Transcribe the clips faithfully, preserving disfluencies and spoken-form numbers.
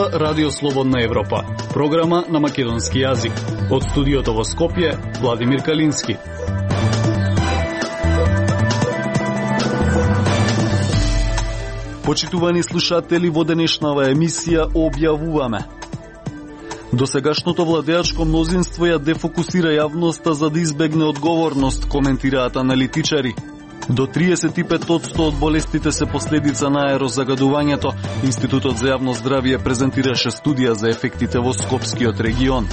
слуша Радио Слободна Европа, програма на македонски јазик. Од студиото во Скопје, Владимир Калински. Почитувани слушатели, во денешнава емисија објавуваме: досегашното владеачко мнозинство ја дефокусира јавноста за да избегне одговорност, коментираат аналитичари. До триесет и пет одсто од болестите се последица на аерозагадувањето. Институтот за јавно здравје презентираше студија за ефектите во Скопскиот регион.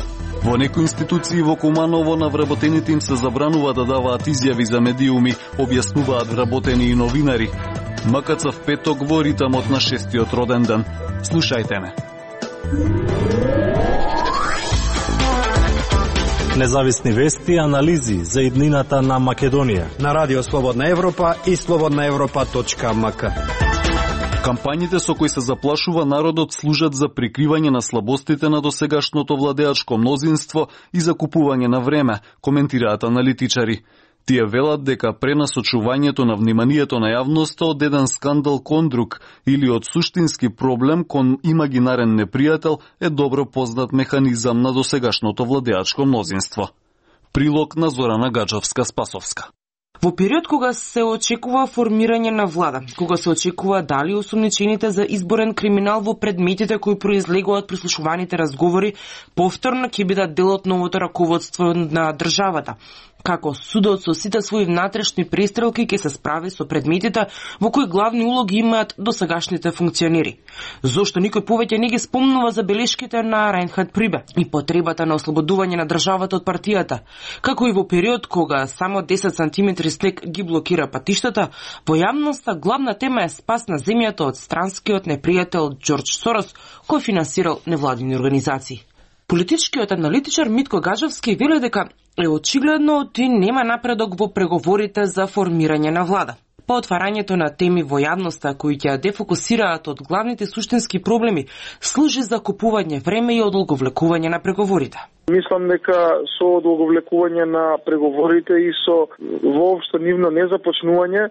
Во некои институции во Куманово на вработените им се забранува да даваат изјави за медиуми, објаснуваат вработени и новинари. МКЦ в петок во ритамот на шестиот роден ден. Слушајте ме. Независни вести и анализи за иднината на Македонија на Радио Слободна Европа и слободна европа точка ем ка. Кампањите со кои се заплашува народот служат за прикривање на слабостите на досегашното владеачко мнозинство и за купување на време, коментираат аналитичари. Тие велат дека пренасочувањето на вниманието на јавноста од еден скандал кон друг или од суштински проблем кон имагинарен непријател е добро познат механизам на досегашното владеачко мнозинство. Прилог на Зорана Гаджовска-Спасовска. Во период кога се очекува формирање на влада, кога се очекува дали осумничените за изборен криминал во предметите кои произлегуваат прислушуваните разговори повторно ќе бидат дел од новото раководство на државата, како судот со сите своји внатрешни престрелки ќе се справи со предметите во кои главни улоги имаат досегашните функционери. Зошто никој повеќе не ги спомнува за белешките на Райнхард Прибе и потребата на ослободување на државата од партијата, како и во период кога само десет сантиметри снег ги блокира патиштата, во јавноста главна тема е спас на земјата од странскиот непријател Џорџ Сорос, кој финансирал невладини организации. Политичкиот аналитичар Митко Гаджовски вели дека е очигледно ти нема напредок во преговорите за формирање на влада. По отварањето на теми во јавноста кои ќе дефокусираат од главните суштински проблеми, служи за купување време и одолговлекување на преговорите. Мислам дека со одолговлекување на преговорите и со воопшто нивно незапочнување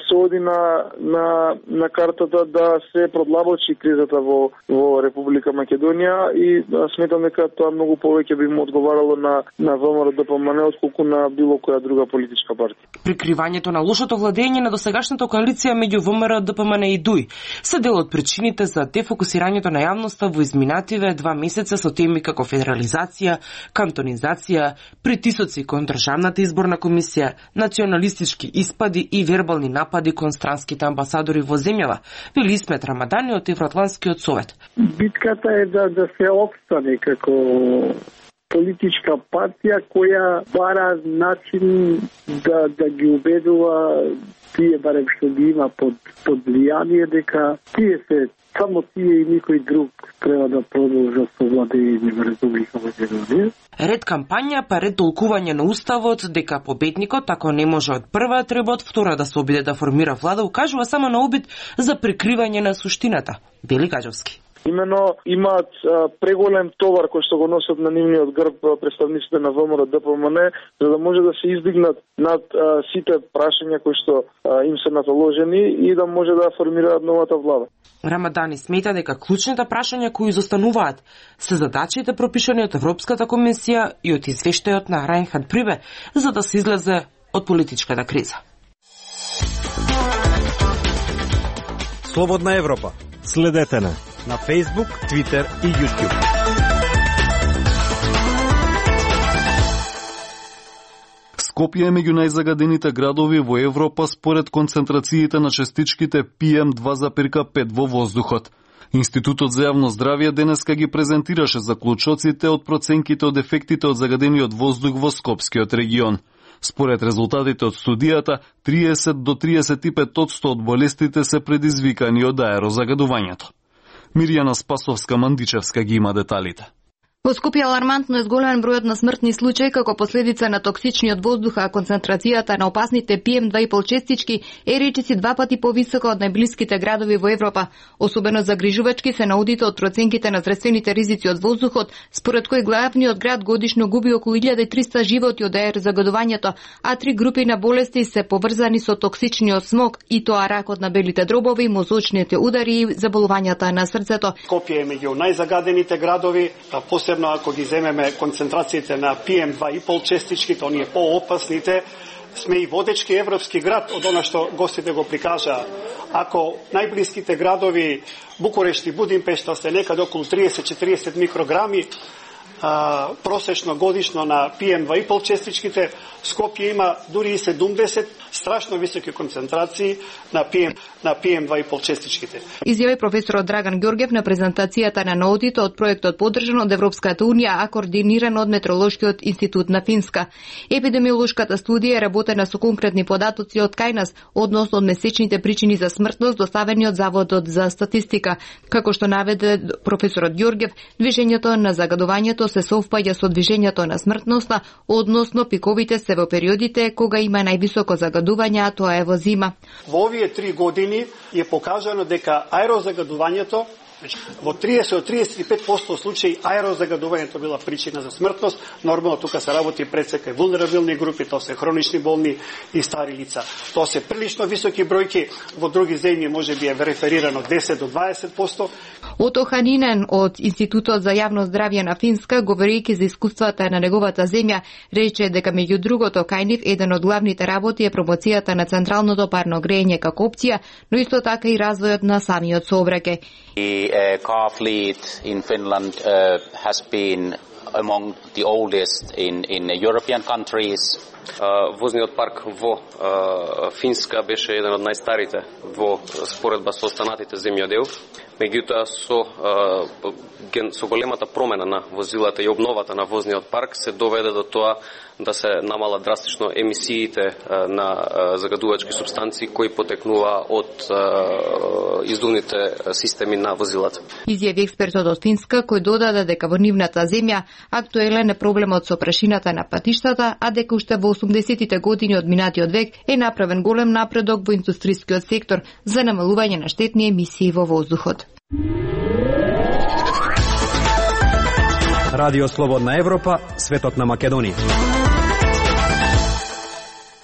се оди на, на, на картата да се продлабочи кризата во, во Република Македонија и сметам дека тоа многу повеќе би му одговарало на, на ВМРО-ДПМН отколку на било која друга политичка партија. Прикривањето на лошото владење на досегашната коалиција меѓу ВМРО-ДПМН и ДУИ се дел од причините за дефокусирањето на јавноста во изминативе два месеца со теми како федерализација, кантонизација, притисоци кон Државната изборна комисија, националистички испади и вербални напади кон странските амбасадори во земјава, вели Исмет Рамадани од Евроатлантскиот совет. Битката е да, да се опстане како политичка партија која бара начин да, да ги убедува тие барем што ги има под, под влијание дека тие се само тие и никој друг треба да продолжат со владење во Република Македонија. Ред кампања, па ред толкување на уставот дека победникот, ако не може од прва, треба од втора да се обиде да формира влада, укажува само на обид за прикривање на суштината. Вели Гаджовски. Имено имаат а, преголем товар кој што го носат на нивниот грб представниците на ВМРО-ДПМН, за да може да се издигнат над а, сите прашања кои што а, им се наталожени и да може да формираат новата влада. Рамадани смета дека клучните прашања кои изостануваат се задачите пропишани од Европската комисија и од извештајот на Райнхард Прибе за да се излезе од политичката криза. Слободна Европа. Следете на на Facebook, Twitter и YouTube. Скопје е меѓу најзагадените градови во Европа според концентрациите на частичките пи ем два запирка пет во воздухот. Институтот за јавно здравје денеска ги презентираше заклучоците од проценките од ефектите од загадениот воздух во Скопскиот регион. Според резултатите од студијата, триесет до триесет и пет одсто од болестите се предизвикани од аерозагадувањето. Мирјана Спасовска-Мандичевска ги има деталите. Во Скопје алармантно е зголемен бројот на смртни случаи како последица на токсичниот воздух, а концентрацијата на опасните пи ем два и пол честички е речиси два пати повисока од најблиските градови во Европа. Особено загрижувачки се наудите од проценките на здравствените ризици од воздухот, според кој главниот град годишно губи околу илјада и триста животи од аер загадувањето, а три групи на болести се поврзани со токсичниот смог, и тоа ракот на белите дробови, мозочните удари и заболувањата на срцето. Скопје е меѓу најзагадените градови, посебно ако ги земеме концентрациите на пи ем два и пол честичките, оние поопасните. Сме и водечки европски град, од она што гостите го прикажаа. Ако најблиските градови Букурешт и Будимпешта се некаде околу триесет до четириесет микрограми а, просечно годишно на пи ем два и пол честичките, Скопје има дури и седумдесет, страшно високи концентрации на пи ем, на пи ем два и пол честичките. Изјави професорот Драган Ѓорѓев на презентацијата на наудите од проектот подржан од Европската унија, а координиран од Метролошкиот институт на Финска. Епидемиолошката студија е работена со конкретни податоци од кај нас односно од месечните причини за смртност доставени од Заводот за статистика. Како што наведе професорот Ѓорѓев, движењето на загадувањето се совпаѓа со движењето на смртноста, односно пиковите се во периодите кога има највисоко загадување, а тоа е во зима. Во овие три години е покажано дека аерозагадувањето во триесет до триесет и пет проценти случаи аерозагадувањето била причина за смртност. Нормално тука се работи пред секој вулнерабилни групи, тоа се хронични болни и стари лица. Тоа се прилично високи бројки, во други земји можеби е реферирано десет до дваесет проценти. Ото Ханинен од Институтот за јавно здравје на Финска, говорејќи за искуствата на неговата земја, рече дека меѓу другото кај нив еден од главните работи е промоцијата на централното парно грејење како опција, но исто така и развојот на самиот сообраќај. The uh, car fleet in Finland uh, has been among the oldest in in European countries. Uh, возниот парк во uh, Финска беше еден од најстарите во споредба со останатите земји од е у. Меѓутоа со uh, ген, со големата промена на возилата и обновата на возниот парк се доведе до тоа да се намала драстично емисиите uh, на uh, загадувачки супстанции кои потекнува од uh, издувните системи на возилата. Изјави експертот од Финска, кој додаде дека во нивната земја актуелен е проблемот со прашината на патиштата, а дека уште во осумдесетите години од минатиот век е направен голем напредок во индустрискиот сектор за намалување на штетни емисии во воздухот. Радио Слободна Европа, светот на Македонија.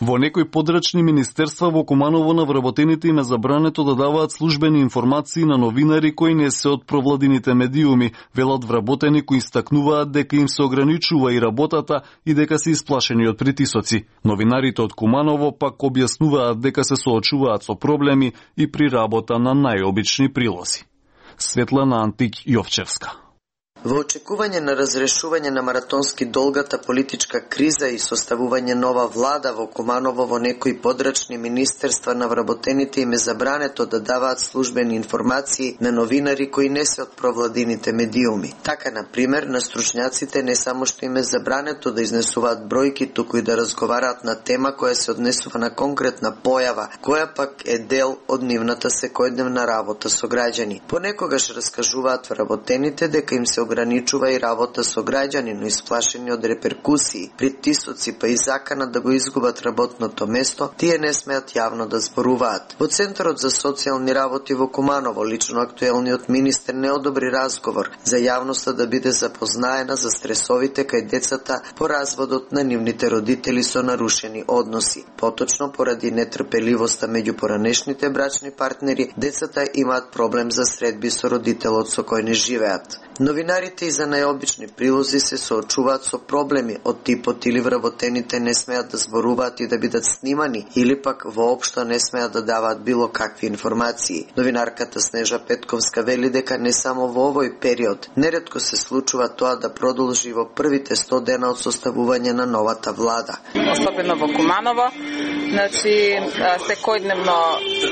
Во некои подрачни министерства во Куманово на вработените им е забрането да даваат службени информации на новинари кои не се од провладините медиуми, велат вработени кои истакнуваат дека им се ограничува и работата и дека се исплашени од притисоци. Новинарите од Куманово пак објаснуваат дека се соочуваат со проблеми и при работа на најобични прилози. Светлана Антик Јовчевска. Во очекување на разрешување на маратонски долгата политичка криза и составување нова влада во Куманово во некои подрачни министерства на вработените им е забрането да даваат службени информации на новинари кои не се од провладините медиуми. Така, на пример, на стручњаците не само што им е забрането да изнесуваат бројки, туку и да разговараат на тема која се однесува на конкретна појава, која пак е дел од нивната секојдневна работа со граѓани. Понекогаш раскажуваат вработените дека им се ограничува и работа со граѓани, но исплашени од реперкусии, притисоци па и закана да го изгубат работното место, тие не смеат јавно да зборуваат. Во Центарот за социјални работи во Куманово лично актуелниот министер не одобри разговор за јавноста да биде запознаена за стресовите кај децата по разводот на нивните родители со нарушени односи. Поточно, поради нетрпеливоста меѓу поранешните брачни партнери, децата имаат проблем за средби со родителот со кој не живеат. Новинарите и за најобични прилози се соочуваат со проблеми од типот или вработените не смеат да зборуваат и да бидат снимани, или пак воопшто не смеат да даваат било какви информации. Новинарката Снежа Петковска вели дека не само во овој период, неретко се случува тоа да продолжи во првите сто дена од составување на новата влада. Особено во Куманово, значи секојдневно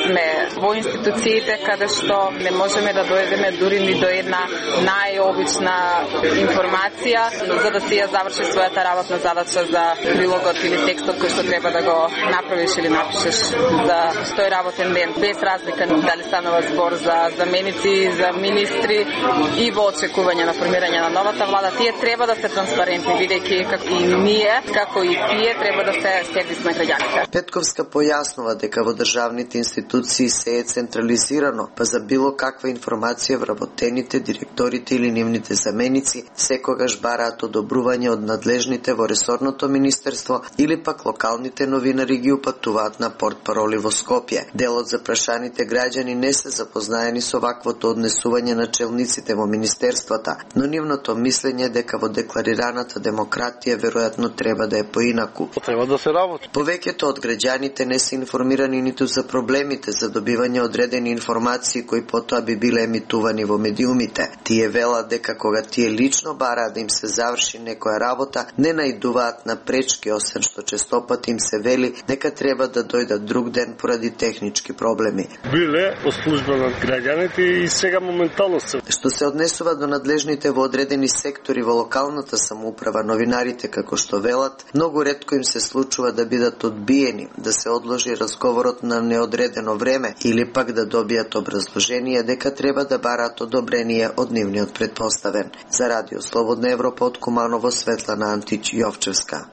сме во институциите каде што не можеме да дојдеме дури ни до една нај најобична информација, за да си ја заврши својата работна задача за прилогот или текстот кој што треба да го направиш или напишеш за тој работен ден, без разлика дали станува збор за заменици, за министри и во очекување на формирање на новата влада. Тие треба да се транспарентни, бидејќи како и ние, како и тие треба да се сервис на граѓаните. Петковска појаснува дека во државните институции се е централизирано, па за било каква информација вработените, директорите или нивните заменици секогаш бараат одобрување од надлежните во ресорното министерство или пак локалните новинари ги упатуваат на портпароли во Скопје. Дел од запрашаните граѓани не се запознаени со ваквото однесување на челниците во министерствата, но нивното мислење дека во декларираната демократија веројатно треба да е поинаку. Треба да се работи. Повеќето од граѓаните не се информирани ниту за проблемите за добивање одредени информации кои потоа би биле емитувани во медиумите. Тие велат дека кога тие лично бараат да им се заврши некоја работа, не наидуваат на пречки, освен што честопати им се вели дека треба да дојдат друг ден поради технички проблеми. Биле по служба на граѓаните и сега моментално се. Што се однесува до надлежните во одредени сектори во локалната самоуправа, новинарите како што велат, многу ретко им се случува да бидат одбиени, да се одложи разговорот на неодредено време или пак да добијат образложение дека треба да бараат одобрение од нивниот претпоставен. За Радио Слободна Европа од Куманово, Светлана Антич Јовчевска.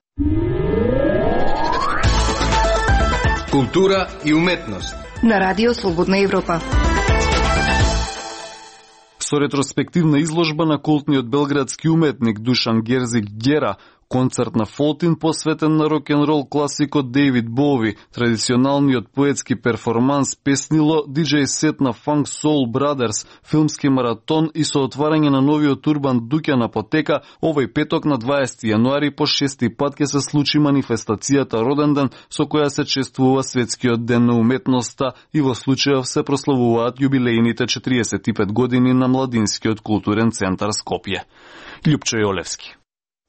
Култура и уметност на Радио Слободна Европа. Со ретроспективна изложба на култниот белградски уметник Душан Герзик Гера, концерт на Фолтин посветен на рок-н-рол класикот Дейвид Боуи, традиционалниот поетски перформанс Песнило, диџеј сет на Funk Soul Brothers, филмски маратон и со отварање на новиот урбан Дуќан апотека, овој петок на дваесети јануари по шести пат ќе се случи манифестацијата Роденден, со која се чествува Светскиот ден на уметноста и во случајов се прославуваат јубилејните четириесет и пет години на Младинскиот културен центар Скопје. Љупчо Јолевски.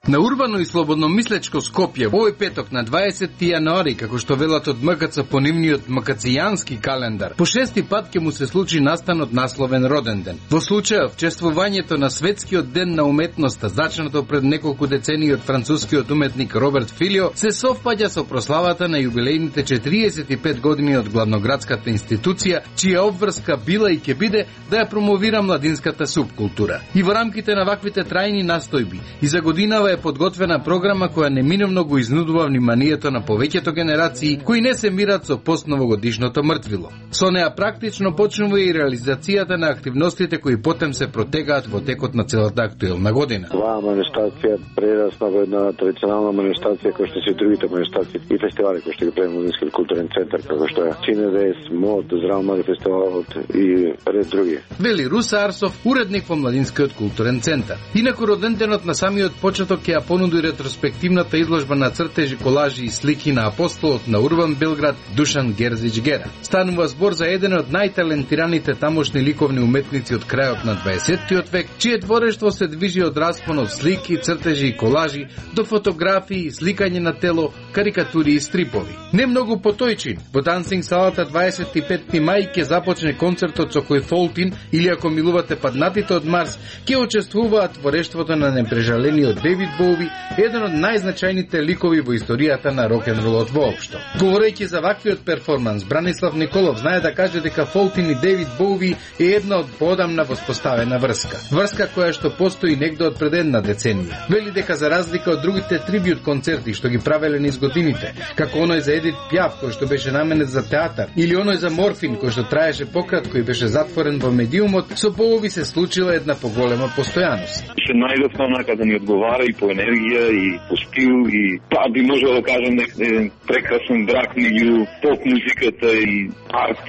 На урбано и слободно мислечко Скопје овој петок на дваесети јануари, како што велат од МКЦ по нивниот макацијански календар, по шести пат ќе му се случи настанот насловен Роденден. Во случајов чествувањето на Светскиот ден на уметноста, зачнато пред неколку децении од францускиот уметник Роберт Филио, се совпаѓа со прославата на јубилејните четириесет и пет години од главноградската институција, чија обврска била и ќе биде да ја промовира младинската субкултура. И во рамките на ваквите трајни настојби и за годинава е подготвена програма која неминовно го изнудува вниманието на повеќето генерации кои не се мират со постновогодишното мртвило. Со неа практично почнува и реализацијата на активностите кои потем се протегаат во текот на целата актуелна година. Оваа манифестација прерасна во една традиционална манифестација која што се другите манифестации и фестивали кои што ги прави Младинскиот културен центар, како што е Cinedес, МОД, Здрав млади фестивалот и ред други. Вели Руса Арсов, уредник во Младинскиот културен центар. Инаку роденденот на самиот почеток ќе ја понуди ретроспективната изложба на цртежи, колажи и слики на апостолот на урбан Белград Душан Герзич Гера. Станува збор за еден од најталентираните тамошни ликовни уметници од крајот на дваесеттиот век, чие творештво се движи од распон од слики, цртежи и колажи до фотографии, сликање на тело, карикатури и стрипови. Не многу потојчин, во Дансинг салата дваесет и петти мај ќе започне концертот со кој Фолтин, или ако милувате паднатите од Марс, ќе учествуваат творештвото на непрежалениот Дейвид Боуи, еден од најзначајните ликови во историјата на рок-н-ролот воопшто. Говорејќи за ваквиот перформанс, Бранислав Николов знае да каже дека Фолтин и Дейвид Боуи е една од поодамна воспоставена врска. Врска која што постои негде од пред една деценија. Вели дека за разлика од другите трибют концерти што ги правеле низ годините, како оној за Едит Пјаф кој што беше наменет за театар, или оној за Морфин кој што траеше пократко и беше затворен во медиумот, со Боуи се случила една поголема постојаност. Се најдовме онака да ни одговара и по енергија и по стил и па би можел да кажем еден прекрасен брак меѓу поп музиката и арт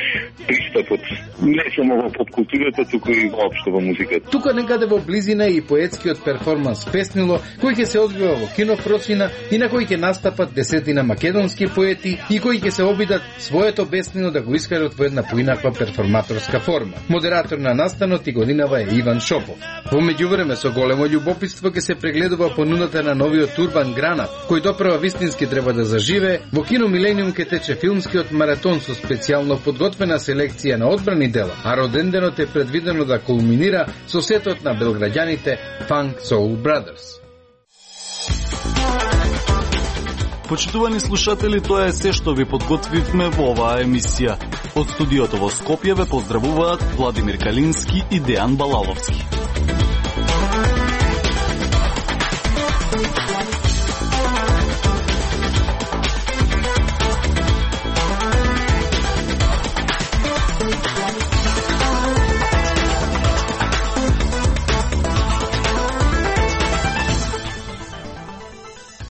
пристапот. Не само во поп културата, туку и воопшто во музиката. Тука некаде во близина и поетскиот перформанс Песнило, кој ќе се одвива во кино Фроцина и на кој ќе настапат десетина македонски поети и кои ќе се обидат своето беснило да го искажат во една поинаква перформаторска форма. Модератор на настанот и годинава е Иван Шопов. Во меѓувреме со големо љубопитство ќе се прегледува понудата на новиот урбан гранат, кој допрева вистински треба да заживе, во кино Милениум ке тече филмскиот маратон со специјално подготвена селекција на одбрани дела, а роденденот е предвидено да кулминира со сетот на белграѓаните Funk Soul Brothers. Почитувани слушатели, тоа е се што ви подготвивме во оваа емисија. Од студиото во Скопје ве поздравуваат Владимир Калински и Дејан Балаловски.